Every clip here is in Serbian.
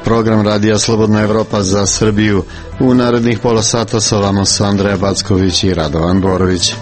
program Radija Slobodna Evropa za Srbiju. U narednih pola sata sa vama su Andreja Backović i Radovan Borović.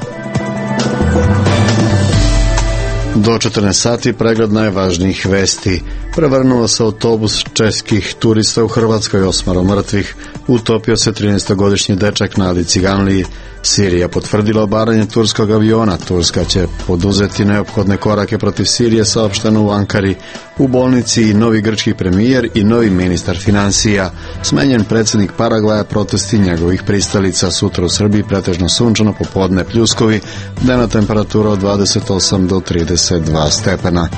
Do 14 sati pregled najvažnijih vesti. Prevrnuo se autobus českih turista u Hrvatskoj, 8 mrtvih. Utopio se 13-godišnji dečak na Adi Ciganliji. Sirija potvrdila obaranje turskog aviona. Turska će poduzeti neophodne korake protiv Sirije, saopšteno u Ankari. U bolnici i novi grčki premijer i novi ministar finansija. Smenjen predsjednik Paragvaja, protesti njegovih pristalica. Sutra u Srbiji pretežno sunčano, popodne pljuskovi, dnevna temperatura od 28 do 32 stepena.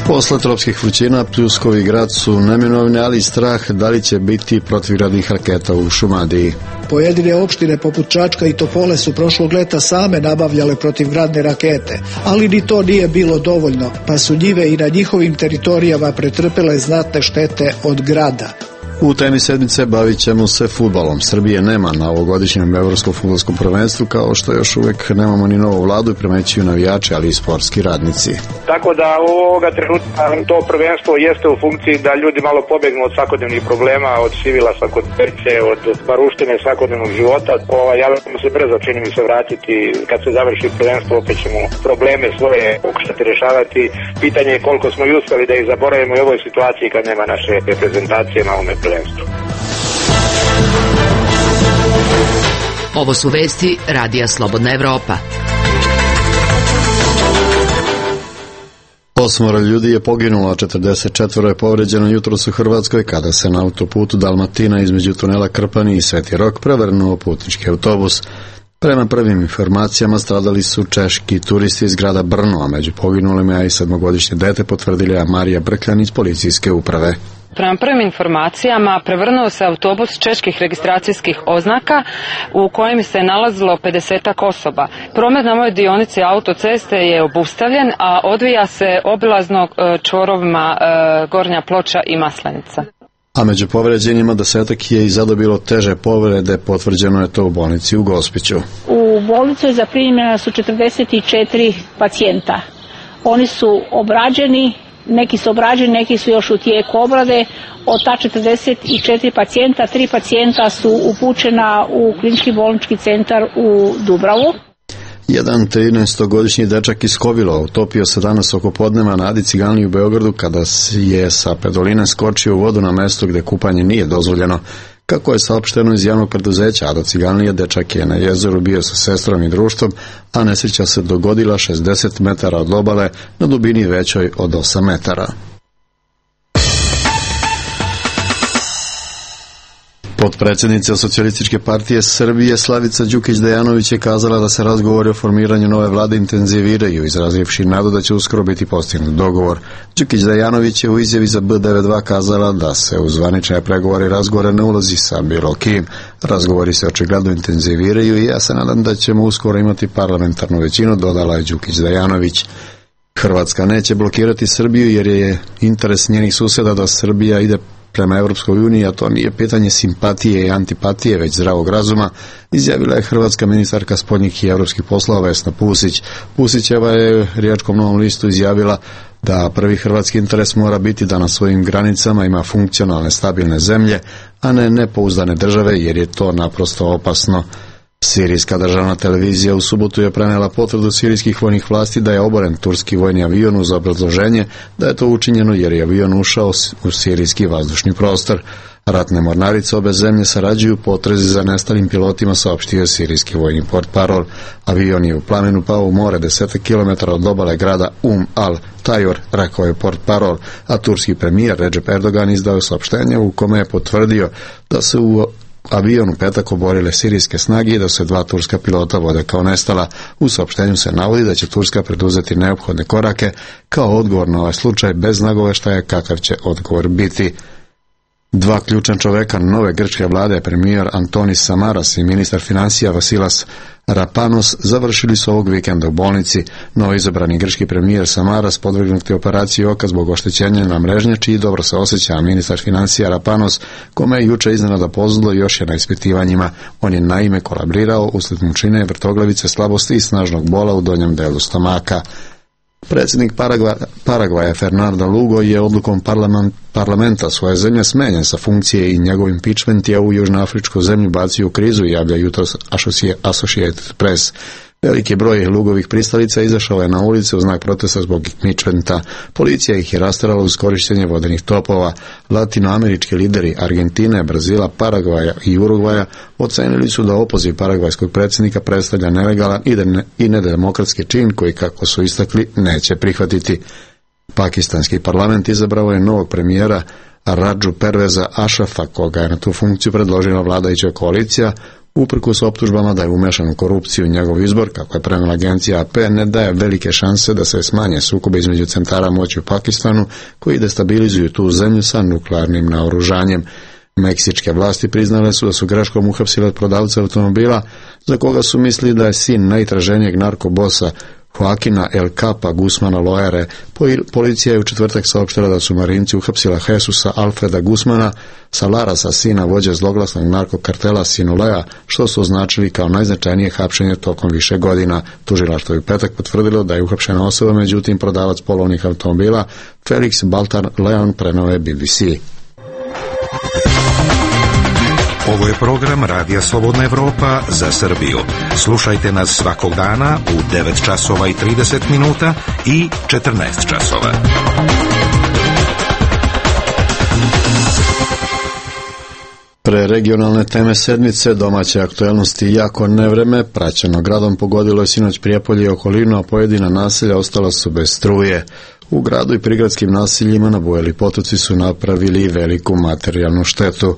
Posle tropskih vrućina, pljuskovi grad su neminovni, ali strah da li će biti protivgradnih raketa u Šumadiji. Pojedine opštine poput Čačka i Topole su prošlog leta same nabavljale protivgradne rakete, ali ni to nije bilo dovoljno, pa su njive i na njihovim teritorijama pretrpele znatne štete od grada. U temi sedmice bavit ćemo se fudbalom. Srbije nema na ovogodišnjem evropskom fudbalskom prvenstvu, kao što još uvek nemamo ni novu vladu i primećuju navijači, ali i sportski radnici. Tako da u ovoga trenutka to prvenstvo jeste u funkciji da ljudi malo pobegnu od svakodnevnih problema, od sivila svakodnevnice, od maruštine svakodnevnog života. Ja ćemo se brzo, čini mi se, vratiti. Kad se završi prvenstvo, opet ćemo probleme svoje pokušati rješavati. Pitanje je koliko smo i uspeli da ih zaboravimo u ovoj situaciji kad nema naše reprezentacije na ovome prvenstvu. Ovo su vesti Radija Slobodna Evropa. 8 ljudi je poginulo, a 44 je povređeno jutros u Hrvatskoj kada se na autoputu Dalmatina između tunela Krpani i Sveti Rok prevrnuo putnički autobus. Prema prvim informacijama stradali su češki turisti iz grada Brno, a među poginulima je i 7-godišnje dete, potvrdila Marija Brkljan iz policijske uprave. Prema prvim informacijama prevrnuo se autobus čeških registracijskih oznaka u kojem se nalazilo 50-ak osoba. Promet na ovoj dionici autoceste je obustavljen, a odvija se obilazno čvorovima Gornja Ploča i Maslenica. A među povređenima 10-ak je i zadobilo teže povrede, potvrđeno je to u bolnici u Gospiću. U bolnicu je zaprimljena su 44 pacijenta. Oni su obrađeni. Neki su obrađeni, neki su još u tijeku obrade. Od ta 44 pacijenta, 3 pacijenta su upućena u klinički bolnički centar u Dubravu. Jedan 13-godišnji dečak iz Kovila utopio se danas oko podneva na Adi Ciganliji u Beogradu kada je sa pedoline skočio u vodu na mesto gde kupanje nije dozvoljeno. Kako je saopšteno iz javnog preduzeća Ada Ciganlije, dečak je na jezeru bio sa sestrom i društvom, a nesreća se dogodila 60 metara od obale na dubini većoj od 8 metara. Potpredsjednica Socijalističke partije Srbije Slavica Đukić-Dejanović je kazala da se razgovori o formiranju nove vlade intenziviraju, izrazivši nadu da će uskoro biti postignut dogovor. Đukić-Dejanović je u izjavi za B92 kazala da se u zvanične pregovore i razgovore ne ulazi sa bilo kim. Razgovori se očigledno intenziviraju i ja se nadam da ćemo uskoro imati parlamentarnu većinu, dodala je Đukić-Dejanović. Hrvatska neće blokirati Srbiju jer je interes njenih susjeda da Srbija ide prema Evropskoj uniji, a to nije pitanje simpatije i antipatije, već zdravog razuma, izjavila je hrvatska ministarka spoljnih i evropskih poslova Vesna Pusić. Pusićeva je Riječkom Novom listu izjavila da prvi hrvatski interes mora biti da na svojim granicama ima funkcionalne, stabilne zemlje, a ne nepouzdane države, jer je to naprosto opasno. Sirijska državna televizija u subotu je prenela potvrdu sirijskih vojnih vlasti da je oboren turski vojni avion uz obrazloženje da je to učinjeno jer je avion ušao u sirijski vazdušni prostor. Ratne mornarice obe zemlje sarađuju potrezi za nestalim pilotima, saopštio sirijski vojni portparol. Avion je u plamenu pao u more 10 km od obale grada al-Tajor, rekao je portparol, a turski premijer Recep Erdogan izdao saopštenje u kome je potvrdio da se u avion u petak oborile sirijske snage i da se 2 turska pilota vode kao nestala. U saopštenju se navodi da će Turska preduzeti neophodne korake kao odgovor na ovaj slučaj bez nagoveštaja kakav će odgovor biti. 2 ključna čoveka nove grčke vlade, premijer Antonis Samaras i ministar finansija Vasilas Rapanos, završili su ovog vikenda u bolnici. Novoizabrani grčki premijer Samaras podvrgnut je operaciji oka zbog oštećenja na mrežnjači i dobro se osjeća, a ministar finansija Rapanos, kome je juče iznenada pozlo, još je na ispitivanjima. On je naime kolabrirao usled mučine, vrtoglavice, slabosti i snažnog bola u donjem delu stomaka. Predsjednik Paragvaja Fernando Lugo je odlukom parlamenta svoje zemlje smenjen sa funkcije i njegov impeachment je u južnoafričku zemlju bacio u krizu, javlja jutros Associated Press. Veliki broj Lugovih pristalica izašao je na ulice u znak protesta zbog impeachmenta. Policija ih je rasterala uz korištenje vodenih topova. Latinoamerički lideri Argentine, Brazila, Paragvaja i Urugvaja ocenili su da opoziv paragvajskog predsjednika predstavlja nelegalan i nedemokratski čin koji, kako su istakli, neće prihvatiti. Pakistanski parlament izabrao je novog premijera Radžu Perveza Ašrafa, koga je na tu funkciju predložila vladajuća koalicija, uprkos optužbama da je umešan u korupciju. Njegov izbor, kako je prenijela agencija AP, ne daje velike šanse da se smanje sukobe između centara moći u Pakistanu, koji destabilizuju tu zemlju sa nuklearnim naoružanjem. Meksičke vlasti priznale su da su greškom uhapsile prodavca automobila, za koga su mislili da je sin najtraženijeg narkobosa Joaquina El Capa Guzmana Loere. Policija je u četvrtak saopštila da su Marinci uhapsila Jesusa Alfreda Guzmana Salarasa, sina vođe zloglasnog narkokartela Sinulea, što su označili kao najznačajnije hapšenje tokom više godina. Tužilaštvo je u petak potvrdilo da je uhapšena osoba, međutim prodavac polovnih automobila Felix Baltar Leon preneo je BBC. Ovo je program Radija Slobodna Evropa za Srbiju. Slušajte nas svakog dana u 9 časova i 30 minuta i 14 časova. Pre regionalne teme sedmice, domaće aktuelnosti jako nevreme, praćeno gradom, pogodilo je sinoć Prijepolje i okolinu, a pojedina naselja ostala su bez struje. U gradu i prigradskim naseljima nabujali potoci su napravili veliku materijalnu štetu.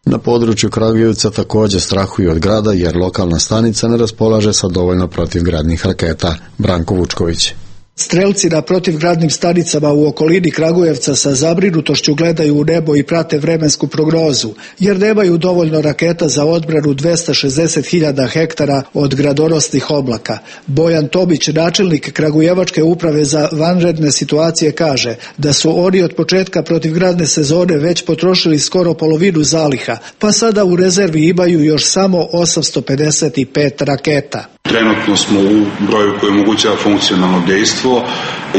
Na području Kragujevca također strahuju od grada jer lokalna stanica ne raspolaže sa dovoljno protivgradnih raketa. Branko Vučković. Strelci na protivgradnim stanicama u okolini Kragujevca sa zabrinutošću gledaju u nebo i prate vremensku prognozu, jer nemaju dovoljno raketa za odbranu 260.000 hektara od gradonosnih oblaka. Bojan Tomić, načelnik Kragujevačke uprave za vanredne situacije, kaže da su oni od početka protivgradne sezone već potrošili skoro polovinu zaliha, pa sada u rezervi imaju još samo 855 raketa. Trenutno smo u broju koji omogućava funkcionalno dejstvo.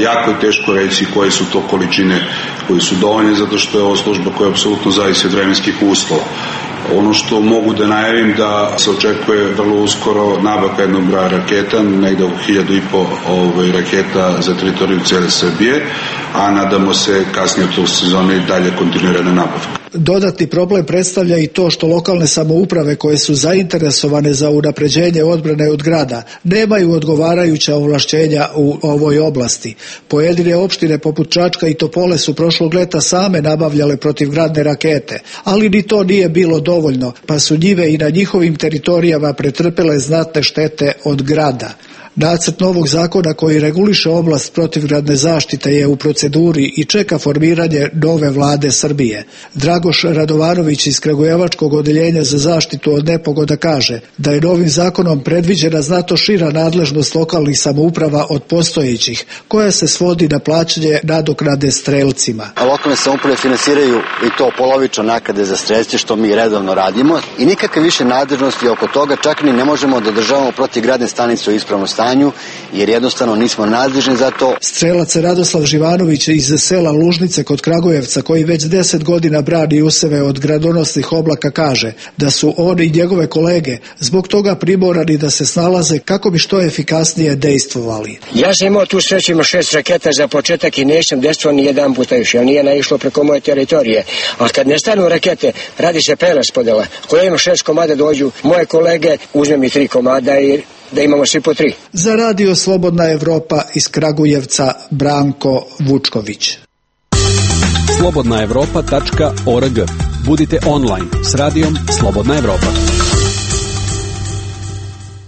Jako je teško reći koje su to količine koje su dovoljne, zato što je ovo služba koja apsolutno zavisi od vremenskih uslova. Ono što mogu da najavim da se očekuje vrlo uskoro nabavka jednog broja raketa, negde oko 1.500 raketa za teritoriju cijele Srbije, a nadamo se kasnije od tog sezone i dalje kontinuirana nabavka. Dodatni problem predstavlja i to što lokalne samouprave koje su zainteresovane za unapređenje odbrane od grada nemaju odgovarajuća ovlašćenja u ovoj oblasti. Pojedine opštine poput Čačka i Topole su prošlog leta same nabavljale protivgradne rakete, ali ni to nije bilo dovoljno, pa su njive i na njihovim teritorijama pretrpele znatne štete od grada. Nacrt novog zakona koji reguliše oblast protivgradne zaštite je u proceduri i čeka formiranje nove vlade Srbije. Dragoš Radovanović iz Kragujevačkog odeljenja za zaštitu od nepogoda kaže da je novim zakonom predviđena znatno šira nadležnost lokalnih samouprava od postojećih, koja se svodi na plaćanje nadoknade strelcima. Lokalne samouprave finansiraju i to polovično naknade za strelce, što mi redovno radimo, i nikakve više nadležnosti oko toga, čak ni ne možemo da održavamo protivgradne stanice u ispravnom stanju, jer jednostavno nismo nadležni za to. Strelac Radoslav Živanović iz sela Lužnice kod Kragujevca, koji već 10 godina brani useve od gradonosnih oblaka, kaže da su on i njegove kolege zbog toga primorani da se snalaze kako bi što efikasnije dejstvovali. Ja sam imao tu sreću, ima 6 raketa za početak i nisam dejstvovao ni jedan puta još, jer nije naišlo preko moje teritorije. A kad ne stanu rakete, radi se preraspodela. Ako ja imam 6 komada, dođu moje kolege, uzmem mi 3 komada i da imamo svi po 3. Za Radio Slobodna Evropa iz Kragujevca, Branko Vučković. slobodnaevropa.org. Budite online s radijom Slobodna Evropa.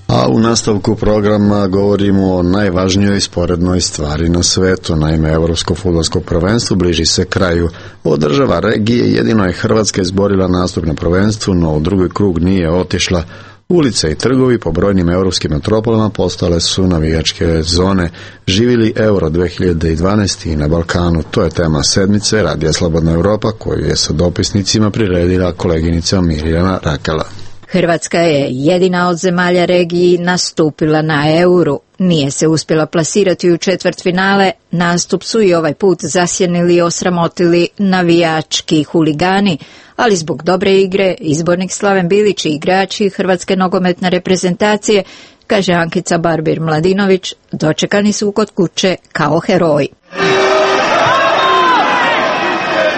A u nastavku programa govorimo o najvažnijoj sporednoj stvari na svetu. Naime, Evropsko fudbalsko prvenstvo bliži se kraju. Od država regije jedino je Hrvatska izborila nastup na prvenstvu, no u drugi krug nije otišla. Ulice i trgovi po brojnim europskim metropolama postale su navijačke zone. Živili Euro 2012 i na Balkanu. To je tema sedmice Radija Slobodna Evropa, koju je sa dopisnicima priredila koleginica Mirjana Rakela. Hrvatska je jedina od zemalja regiji nastupila na Euru. nije se uspjela plasirati u četvrtfinale, nastup su i ovaj put zasjenili i osramotili navijački huligani, ali zbog dobre igre izbornik Slaven Bilić i igrači Hrvatske nogometne reprezentacije, kaže Ankica Barbir-Mladinović, dočekani su kod kuće kao heroji.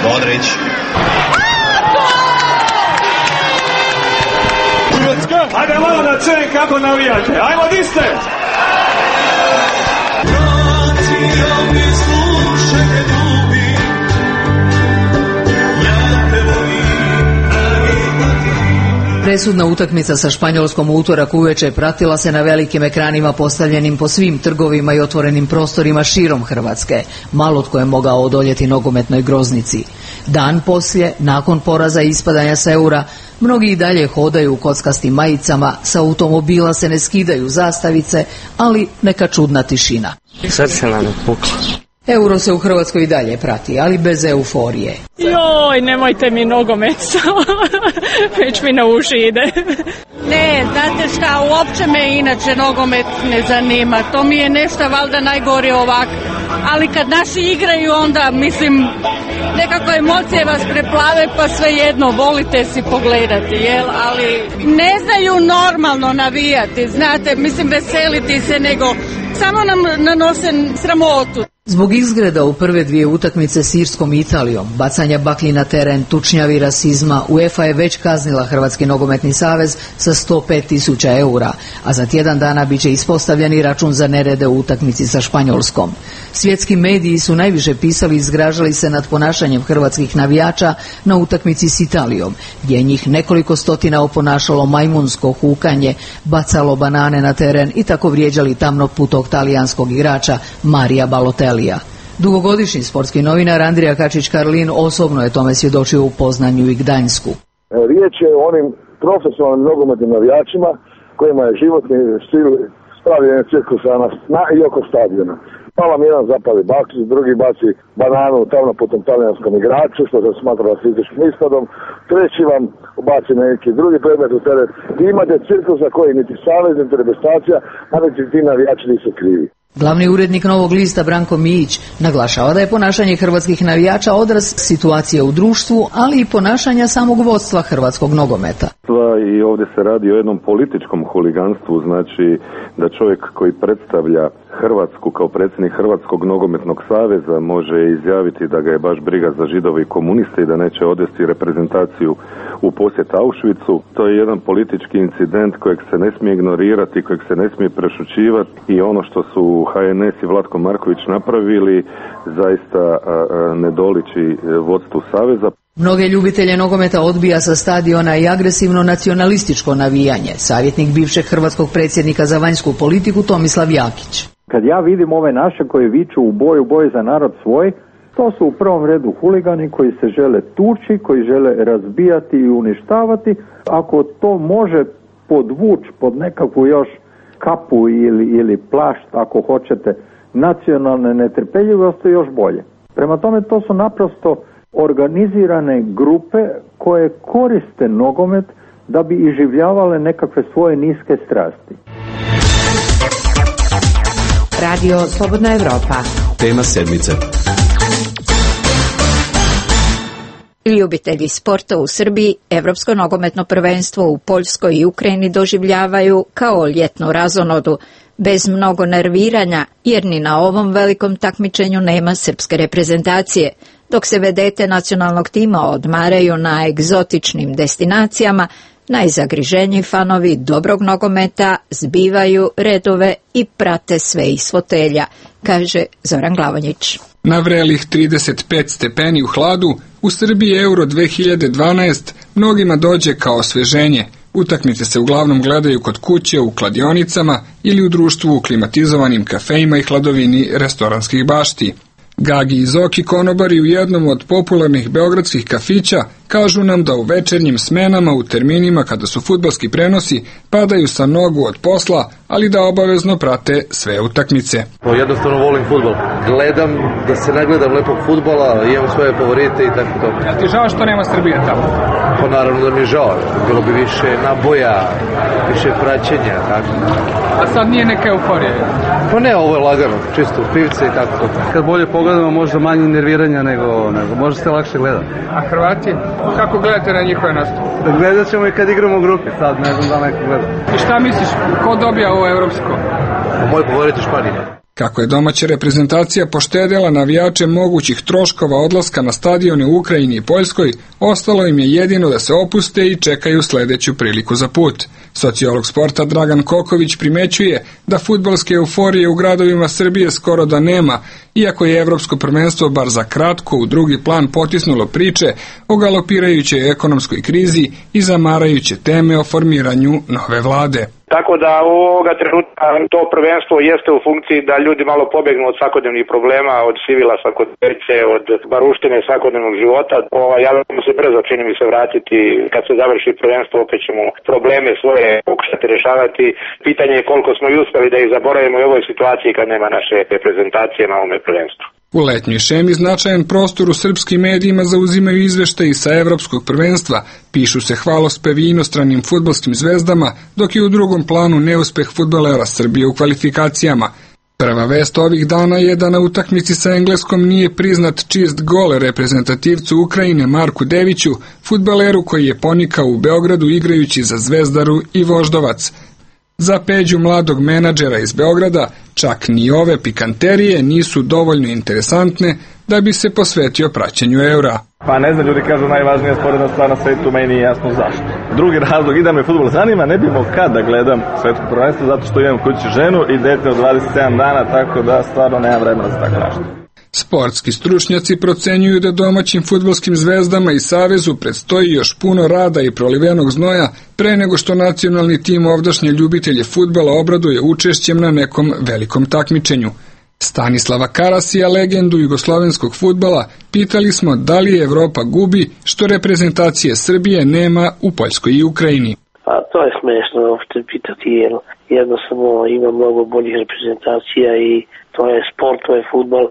Modrić. Ajde malo na cen kako navijate. Ajmo di ste? Presudna utakmica sa Španjolskom u utorak uveče pratila se na velikim ekranima postavljenim po svim trgovima i otvorenim prostorima širom Hrvatske. Malo tko je mogao odoljeti nogometnoj groznici. Dan poslije, nakon poraza i ispadanja s Eura, mnogi i dalje hodaju u kockastim majicama, sa automobila se ne skidaju zastavice, ali neka čudna tišina. Srce nam je puklo. Euro se u Hrvatskoj i dalje prati, ali bez euforije. Joj, nemojte mi nogomet, već mi na uši ide. Ne, znate šta, uopće me inače nogomet ne zanima. To mi je nešto valjda najgore ovako. Ali kad naši igraju, onda, mislim, nekako emocije vas preplave, pa svejedno, volite si pogledati, jel? Ali ne znaju normalno navijati, znate, mislim, veseliti se, nego samo nam nanose sramotu. Zbog izgreda u prve dvije utakmice s Irskom i Italijom, bacanja baklji na teren, tučnjavi, rasizma, UEFA je već kaznila Hrvatski nogometni savez sa 105.000 eura, a za tjedan dana bit će ispostavljeni račun za nerede u utakmici sa Španjolskom. Svjetski mediji su najviše pisali i zgražali se nad ponašanjem hrvatskih navijača na utakmici s Italijom, gdje je njih nekoliko stotina oponašalo majmunsko hukanje, bacalo banane na teren i tako vrijeđali tamnoputog talijanskog igrača Marija Balotelija. Dugogodišnji sportski novinar Andrija Kačić-Karlin osobno je tome svjedočio u Poznanju i Gdańsku. Riječ je o onim profesionalnim nogometnim navijačima kojima je životni stil stavljanje cirkusa na i oko stadiona. Pa vam jedan zapali baksić, drugi baci bananu tamo po tom talijanskom igraču, što se smatra rasističkim ispadom, treći vam ubaci neki drugi predmet u teren. I imate cirkusa koji niti savez, niti reprezentacija, a niti ti navijači nisu krivi. Glavni urednik Novog lista Branko Mijić naglašava da je ponašanje hrvatskih navijača odraz situacije u društvu, ali i ponašanja samog vodstva hrvatskog nogometa. I ovdje se radi o jednom političkom huliganstvu, znači da čovjek koji predstavlja Hrvatsku kao predsjednik Hrvatskog nogometnog saveza može izjaviti da ga je baš briga za Židove i komuniste i da neće odvesti reprezentaciju u posjet Auschwitzu. To je jedan politički incident kojeg se ne smije ignorirati, kojeg se ne smije prešućivati i ono što su HNS i Vlatko Marković napravili zaista ne doliči vodstvu saveza. Mnoge ljubitelje nogometa odbija sa stadiona i agresivno nacionalističko navijanje, savjetnik bivšeg hrvatskog predsjednika za vanjsku politiku Tomislav Jakić. Kad ja vidim ove naše koji viču u boj za narod svoj, to su u prvom redu huligani koji se žele tući, koji žele razbijati i uništavati. Ako to može podvući pod nekakvu još kapu ili plašt, ako hoćete, nacionalne netrpeljivosti, još bolje. Prema tome, to su naprosto organizirane grupe koje koriste nogomet da bi iživljavale nekakve svoje niske strasti. Radio Slobodna Evropa. Tema sedmice. Ljubitelji sporta u Srbiji Evropsko nogometno prvenstvo u Poljskoj i Ukrajini doživljavaju kao ljetnu razonodu, bez mnogo nerviranja, jer ni na ovom velikom takmičenju nema srpske reprezentacije, dok se vedete nacionalnog tima odmaraju na egzotičnim destinacijama. Najzagriženiji fanovi dobrog nogometa zbivaju redove i prate sve iz fotelja, kaže Zoran Glavonjić. Na vrelih 35 stepeni u hladu, u Srbiji Euro 2012 mnogima dođe kao osveženje. Utakmice se uglavnom gledaju kod kuće, u kladionicama ili u društvu u klimatizovanim kafejima i hladovini restoranskih bašti. Gagi i Zoki konobari u jednom od popularnih beogradskih kafića kažu nam da u večernjim smenama u terminima kada su fudbalski prenosi padaju sa nogu od posla, ali da obavezno prate sve utakmice. Jednostavno volim fudbal. Gledam da se ne gledam lepog fudbala, imam svoje favorite i tako to. Ja ti žao što nema Srbije tamo? Pa naravno da mi je žao. Bilo bi više naboja, više praćenja, tako. A sad nije neka euforija? Pa ne, ovo je lagano, čisto pivce i tako to. Kad bolje pogledamo, možda manje nerviranja nego može se lakše gledati. A Hrvati? Kako gledate na njihove nastupe? Gledat ćemo i kad igramo u grupi, sad ne znam da neko gleda. I šta misliš, ko dobija ovo evropsko? Moj favorit je Španija. Kako je domaća reprezentacija poštedela navijače mogućih troškova odlaska na stadione u Ukrajini i Poljskoj, ostalo im je jedino da se opuste i čekaju sledeću priliku za put. Sociolog sporta Dragan Koković primećuje da fudbalske euforije u gradovima Srbije skoro da nema, iako je evropsko prvenstvo bar za kratko u drugi plan potisnulo priče o galopirajućoj ekonomskoj krizi i zamarajuće teme o formiranju nove vlade. Tako da ovoga trenutka to prvenstvo jeste u funkciji da ljudi malo pobegnu od svakodnevnih problema, od sivila svakodnevnice, od baruštine svakodnevnog života. Ja ćemo se brzo, čini mi se, vratiti. Kad se završi prvenstvo, opet ćemo probleme svoje pokušati rješavati. Pitanje je koliko smo i uspeli da ih zaboravimo u ovoj situaciji kad nema naše reprezentacije na ovome prvenstvu. U letnjoj šemi značajan prostor u srpskim medijima zauzimaju izveštaji sa evropskog prvenstva, pišu se hvalospevi inostranim fudbalskim zvezdama, dok je u drugom planu neuspeh fudbalera Srbije u kvalifikacijama. Prva vest ovih dana je da na utakmici sa Engleskom nije priznat čist gol reprezentativcu Ukrajine Marku Deviću, fudbaleru koji je ponikao u Beogradu igrajući za Zvezdaru i Voždovac. Za Peđu, mladog menadžera iz Beograda, čak ni ove pikanterije nisu dovoljno interesantne da bi se posvetio praćenju eura. Pa ne znam, ljudi kažu najvažnija sporedna stvar na svetu, meni nije jasno zašto. Drugi razlog, i da me fudbal zanima, ne bi imao kad da gledam svetsko prvenstvo, zato što imam kući ženu i dete od 27 dana, tako da stvarno nemam vremena za tako nešto. Sportski stručnjaci procenjuju da domaćim fudbalskim zvezdama i savezu predstoji još puno rada i prolivenog znoja pre nego što nacionalni tim ovdašnje ljubitelje fudbala obraduje učešćem na nekom velikom takmičenju. Stanislava Karasija, legendu jugoslovenskog fudbala, pitali smo da li Evropa gubi što reprezentacije Srbije nema u Poljskoj i Ukrajini. Pa to je smešno uopšte pitati, jer jednostavno ima mnogo boljih reprezentacija i to je sport, to je fudbal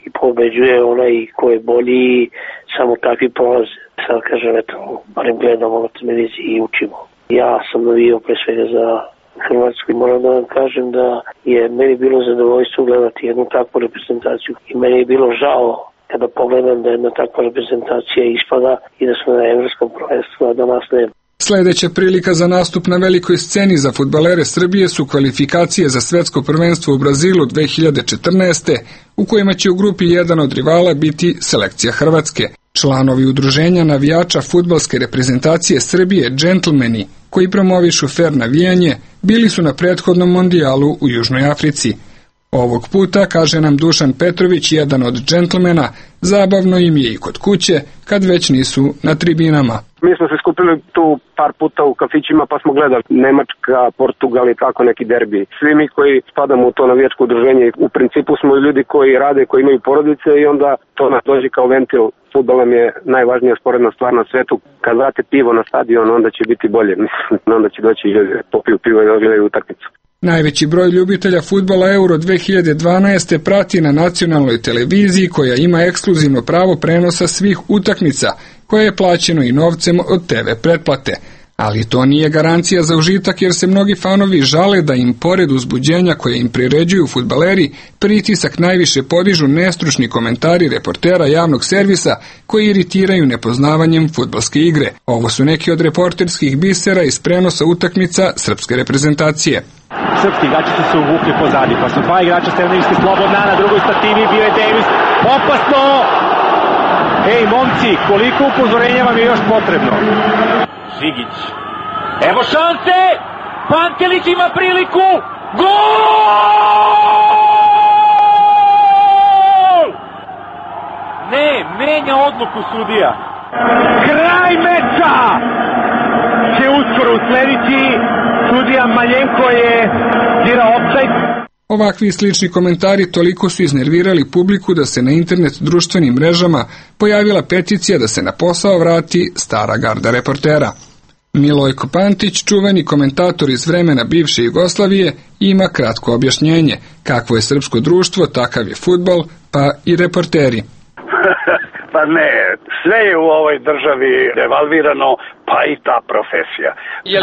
i pobeđuje onaj ko je bolji i samo takvi prolaze. Sad kažem, eto, barem gledamo na televiziji i učimo. Ja sam navio pre svega za Hrvatsku i moram da vam kažem da je meni bilo zadovoljstvo gledati jednu takvu reprezentaciju i meni je bilo žao kada pogledam da jedna takva reprezentacija ispada i da smo na evropskom prvenstvu, a da nas nema. Sledeća prilika za nastup na velikoj sceni za fudbalere Srbije su kvalifikacije za svetsko prvenstvo u Brazilu 2014. u kojima će u grupi jedan od rivala biti selekcija Hrvatske. Članovi udruženja navijača fudbalske reprezentacije Srbije Džentlmeni, koji promovišu fer navijanje, bili su na prethodnom mondijalu u Južnoj Africi. Ovog puta, kaže nam Dušan Petrović, jedan od džentlmena, zabavno im je i kod kuće, kad već nisu na tribinama. Mi smo se skupili tu par puta u kafićima pa smo gledali Nemačka, Portugal i tako neki derbi. Svi mi koji spadamo u to navijačko udruženje, u principu smo ljudi koji rade, koji imaju porodice i onda to nas dođe kao ventil. Fudbal nam je najvažnija sporedna stvar na svetu. Kad vrate pivo na stadion, onda će biti bolje. Onda će doći i popiju pivo i odgledaju utakmicu. Najveći broj ljubitelja fudbala Euro 2012. prati na nacionalnoj televiziji koja ima ekskluzivno pravo prenosa svih utakmica, koje je plaćeno i novcem od TV pretplate. Ali to nije garancija za užitak jer se mnogi fanovi žale da im pored uzbuđenja koje im priređuju fudbaleri, pritisak najviše podižu nestručni komentari reportera javnog servisa koji iritiraju nepoznavanjem fudbalske igre. Ovo su neki od reporterskih bisera iz prenosa utakmica srpske reprezentacije. Srpski igrači su se uvukli pozadi, pa su dva igrača Stevanovićki slobodna, na drugoj stativi bio je Davis. Opasno! Ej, momci, koliko upozorenja vam je još potrebno? Žigić. Evo šanse! Pantelić ima priliku! Gol! Ne, menja odluku sudija. Kraj meča! Će uskoro uslediti. Sudija Maljenko je dirao ofsajd. Ovakvi i slični komentari toliko su iznervirali publiku da se na internet društvenim mrežama pojavila peticija da se na posao vrati stara garda reportera. Milojko Pantić, čuveni komentator iz vremena bivše Jugoslavije, ima kratko objašnjenje. Kakvo je srpsko društvo, takav je fudbal, pa i reporteri. Pa ne, sve je u ovoj državi devalvirano, pa i ta profesija.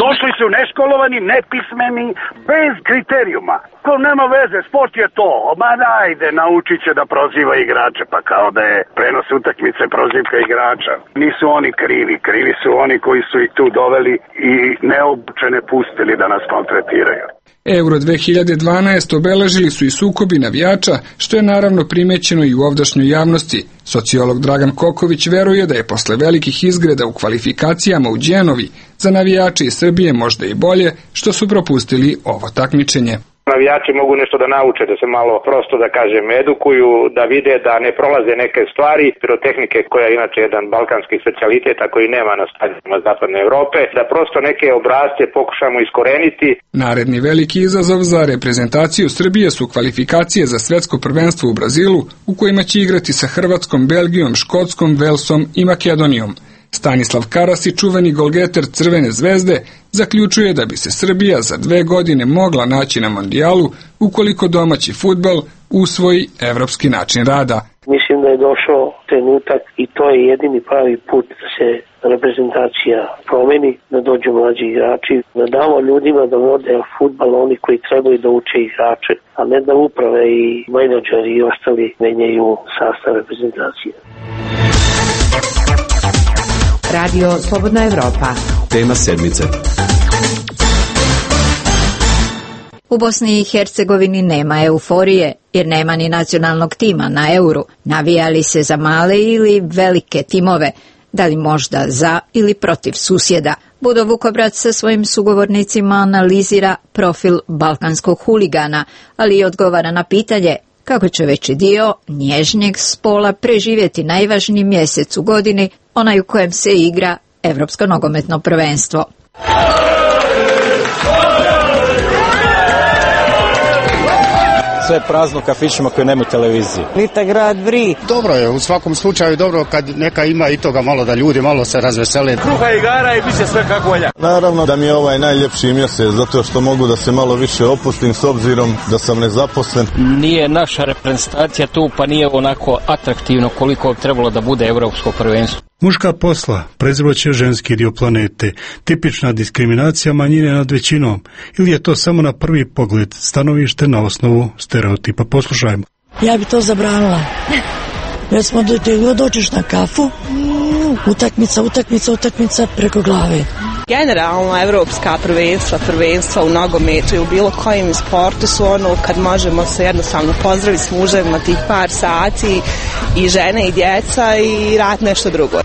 Došli su neškolovani, nepismeni, bez kriterijuma. To nema veze, sport je to. Ma dajde, naučit će da proziva igrače, pa kao da je prenos utakmice prozivka igrača. Nisu oni krivi, krivi su oni koji su ih tu doveli i neobučene pustili da nas maltretiraju. Euro 2012 obeležili su i sukobi navijača, što je naravno primećeno i u ovdašnjoj javnosti. Sociolog Dragan Koković veruje da je posle velikih izgreda u kvalifikacijama u Đenovi za navijače iz Srbije možda i bolje što su propustili ovo takmičenje. Navijači mogu nešto da nauče, da se malo prosto da kažem edukuju, da vide da ne prolaze neke stvari, pirotehnike koja je inače jedan balkanski specijalitet, a koji nema na stadionima zapadne Evrope, da prosto neke obrasce pokušamo iskoreniti. Naredni veliki izazov za reprezentaciju Srbije su kvalifikacije za svetsko prvenstvo u Brazilu, u kojima će igrati sa Hrvatskom, Belgijom, Škotskom, Velsom i Makedonijom. Stanislav Karasi, čuveni golgeter Crvene zvezde, zaključuje da bi se Srbija za 2 godine mogla naći na mondijalu ukoliko domaći fudbal usvoji evropski način rada. Mislim da je došao trenutak i to je jedini pravi put da se reprezentacija promeni, da dođu mlađi igrači, da damo ljudima da vode fudbal, oni koji trebaju da uče igrače, a ne da uprave i menadžeri i ostali menjaju sastav reprezentacije. Radio Slobodna Evropa. Tema sedmice. U Bosni i Hercegovini nema euforije, jer nema ni nacionalnog tima na Euru. Navijali se za male ili velike timove, da li možda za ili protiv susjeda. Budo Vukobrac sa svojim sugovornicima analizira profil balkanskog huligana, ali i odgovara na pitanje kako će veći dio nježnjeg spola preživjeti najvažniji mjesec u godini, onaj u kojem se igra Evropsko nogometno prvenstvo. Sve je prazno kafićima koji nemaju televizije. Nita grad vri. Dobro je, u svakom slučaju dobro kad neka ima i toga malo da ljudi malo se razvesele. Kruha i igara i bit će sve kako volja. Naravno da mi je ovaj najljepši mjesec, zato što mogu da se malo više opustim s obzirom da sam nezaposlen. Nije naša reprezentacija tu, pa nije onako atraktivno koliko bi trebalo da bude evropsko prvenstvo. Muška posla, prezroće ženski dio planete, tipična diskriminacija manjine nad većinom, ili je to samo na prvi pogled stanovište na osnovu stereotipa? Poslušajmo. Ja bi to zabranila. Već smo dođeš na kafu, utakmica preko glave. Generalno evropska prvenstva u nogometu i u bilo kojem sportu su ono kad možemo se jednostavno pozdraviti s muževima tih par sati i žene i djeca i rad nešto drugo.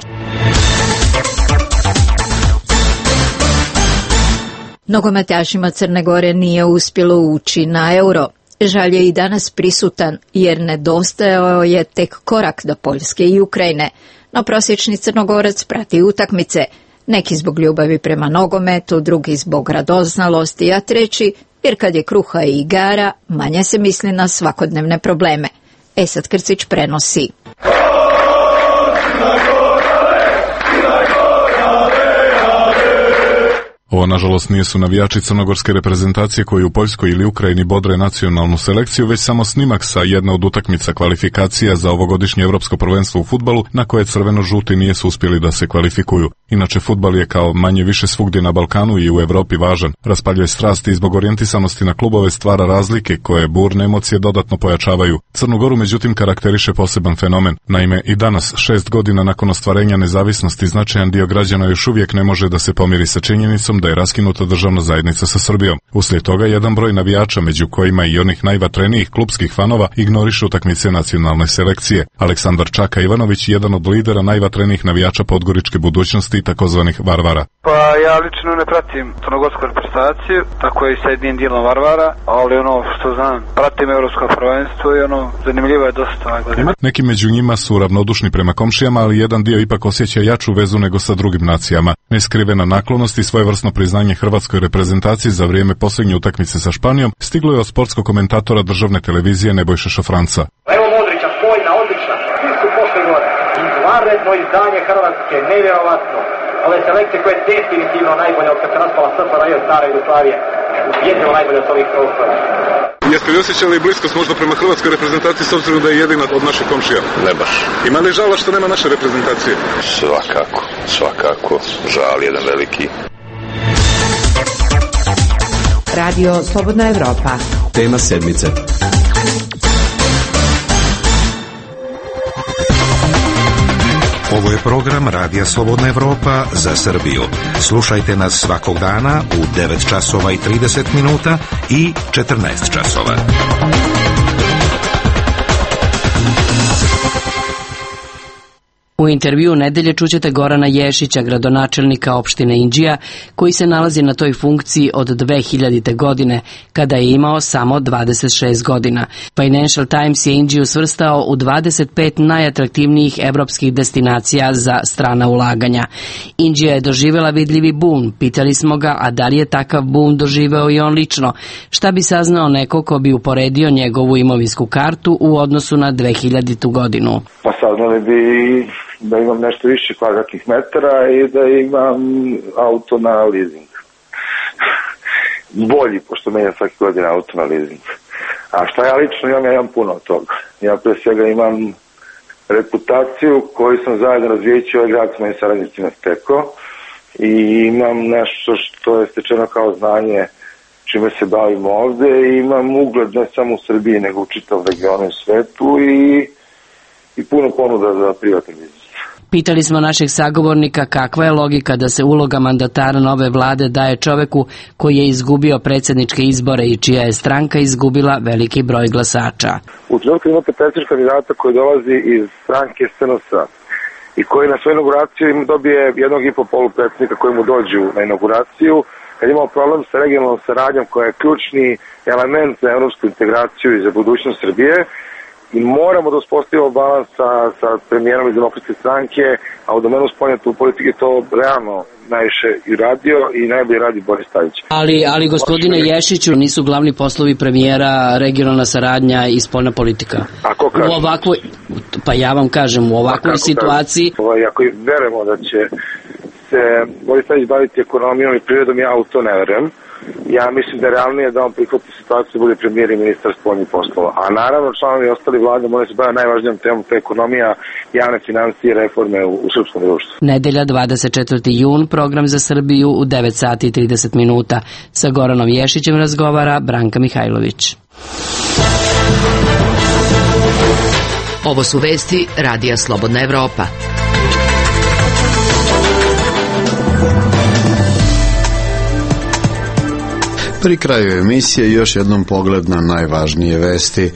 Nogometašima Crne Gore nije uspjelo ući na Euro. Žalj je i danas prisutan jer nedostajao je tek korak do Poljske i Ukrajine. No prosječni Crnogorac prati utakmice. Neki zbog ljubavi prema nogometu, drugi zbog radoznalosti, a treći jer kad je kruha i igara, manje se misli na svakodnevne probleme. Esad Krcić prenosi. Ovo, nažalost, nisu navijači crnogorske reprezentacije koji u Poljskoj ili Ukrajini bodre nacionalnu selekciju, već samo snimak sa jedne od utakmica kvalifikacija za ovogodišnje evropsko prvenstvo u fudbalu, na koje crveno-žuti nije su uspjeli da se kvalifikuju. Inače, fudbal je kao manje više svugdje na Balkanu i u Evropi važan. Raspaljuje strasti i zbog orijentisanosti na klubove stvara razlike koje burne emocije dodatno pojačavaju. Crnu Goru, međutim, karakteriše poseban fenomen. Naime, i danas, 6 godina nakon ostvarenja nezavisnosti, značajan dio građana još uvijek ne može da se pomiri sa činjenicom da je raskinuta državna zajednica sa Srbijom. Uslijed toga, jedan broj navijača, među kojima i onih najvatrenijih klupskih fanova, ignoriše utakmice nacionalne selekcije. Aleksandar Čaka Ivanović, jedan od lidera najvatrenijih navijača podgoričke budućnosti i takozvanih Varvara. Pa ja lično ne pratim crnogorsku reprezentaciju, tako je i sa jednim dijelom Varvara, ali ono što znam, pratim evropsko prvenstvo i ono zanimljivo je dosta. Neki među njima su ravnodušni prema komšijama, ali jedan dio ipak osjeća jaču vezu nego sa drugim nacijama. Neskrivena naklonost i svojevrsno priznanje hrvatskoj reprezentaciji za vrijeme posljednje utakmice sa Španijom stiglo je od sportskog komentatora državne televizije Nebojše Šafranca. Evo Modrića, spojna, odlična, svi su pošli gore. Izvanredno izdanje Hrvatske, nevjerovatno. Ove selekcije koje je definitivno najbolje od kad se raspala SFRJ stara Jugoslavije. Jedino najbolje od ovih prostora. Jeste li osjećali bliskost možda prema hrvatskoj reprezentaciji s obzirom da je jedina od naših komšija? Ne baš. Ima li žala što nema naše reprezentacije? Svakako. Žal jedan veliki. Radio Slobodna Evropa. Tema sedmice. Ovo je program Radija Slobodna Evropa za Srbiju. Slušajte nas svakog dana u 9 časova i 30 minuta i 14 časova. U intervju nedelje čućete Gorana Ješića, gradonačelnika opštine Inđija, koji se nalazi na toj funkciji od 2000. godine, kada je imao samo 26 godina. Financial Times je Inđiju svrstao u 25 najatraktivnijih evropskih destinacija za strana ulaganja. Inđija je doživjela vidljivi bum. Pitali smo ga, a da li je takav bum doživeo i on lično? Šta bi saznao neko ko bi uporedio njegovu imovinsku kartu u odnosu na 2000. godinu? Pa saznali bi da imam nešto više kvadratnih metara i da imam auto na leasing. Bolji, pošto menjam svaki godin auto na leasing. A šta ja lično imam? Ja imam puno od toga. Ja pre svega imam reputaciju koju sam zajedno razvijeći ovaj grad s mojim saradnicima stekao i imam nešto što je stečeno kao znanje čime se bavimo ovde i imam ugled ne samo u Srbiji nego u čitavom regionu i svetu i puno ponuda za privatni biznis. Pitali smo našeg sagovornika kakva je logika da se uloga mandatara nove vlade daje čoveku koji je izgubio predsjedničke izbore i čija je stranka izgubila veliki broj glasača. U trenutku imate predsjedničkog kandidata koji dolazi iz stranke SNS-a i koji na svoju inauguraciju dobije 1,5 polupredsjednika koji mu dođu na inauguraciju. Kad imamo problem sa regionalnom saradnjom koja je ključni element za evropsku integraciju i za budućnost Srbije, i moramo da uspostavimo balans sa premijerom iz Demokratske stranke, a u domenu spoljne politike to realno najviše i radio i najbolje radi Boris Tadić. Ali gospodine Ješiću, nisu glavni poslovi premijera regionalna saradnja i spoljna politika? A ko kaže? U ovakvoj, pa ja vam kažem, u ovakvoj situaciji... Ako verujemo da će se Boris Tadić baviti ekonomijom i prirodom, ja u to ne verujem. Ja mislim da je realnije da on prihvati situaciju da bude premijer i ministar spoljnih poslova. A naravno članovi ostali vlade moraju se baviti najvažnijom temom, to je ekonomija, javne financije i reforme u srpskom društvu. Nedelja 24. jun, program za Srbiju u 9 sati i 30 minuta. Sa Goranom Ješićem razgovara Branka Mihajlović. Ovo su vesti Radija Slobodna Evropa. Pri kraju emisije još jednom pogled na najvažnije vesti.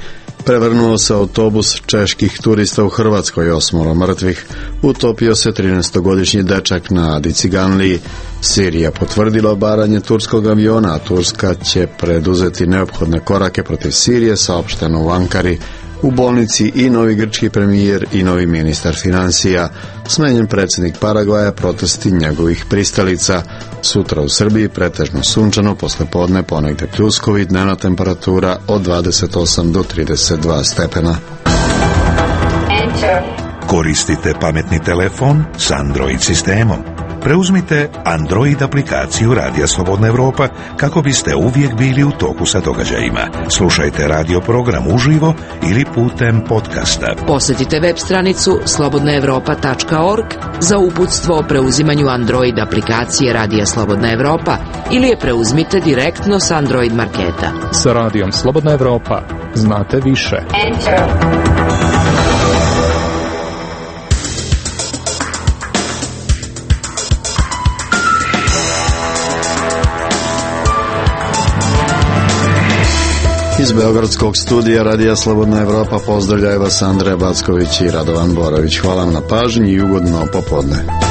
Prevrnuo se autobus čeških turista u Hrvatskoj, 8 mrtvih. Utopio se 13-godišnji dečak na Adi Ciganliji. Sirija potvrdila obaranje turskog aviona, a Turska će preduzeti neophodne korake protiv Sirije, saopšteno u Ankari. U bolnici i novi grčki premijer i novi ministar financija. Smenjen predsjednik Paragvaja, protesti njegovih pristalica. Sutra u Srbiji pretežno sunčano, poslijepodne ponegde pljuskovi, dnevna temperatura od 28 do 32 stepena. Koristite pametni telefon s Android sistemom. Preuzmite Android aplikaciju Radija Slobodna Evropa kako biste uvijek bili u toku sa događajima. Slušajte radio program uživo ili putem podcasta. Posjetite web stranicu slobodnaevropa.org za uputstvo o preuzimanju Android aplikacije Radija Slobodna Evropa ili je preuzmite direktno s Android marketa. Sa Radijom Slobodna Evropa znate više. Iz beogradskog studija Radija Slobodna Evropa pozdravljaju vas Andreja Backović i Radovan Borović. Hvala vam na pažnji i ugodno popodne.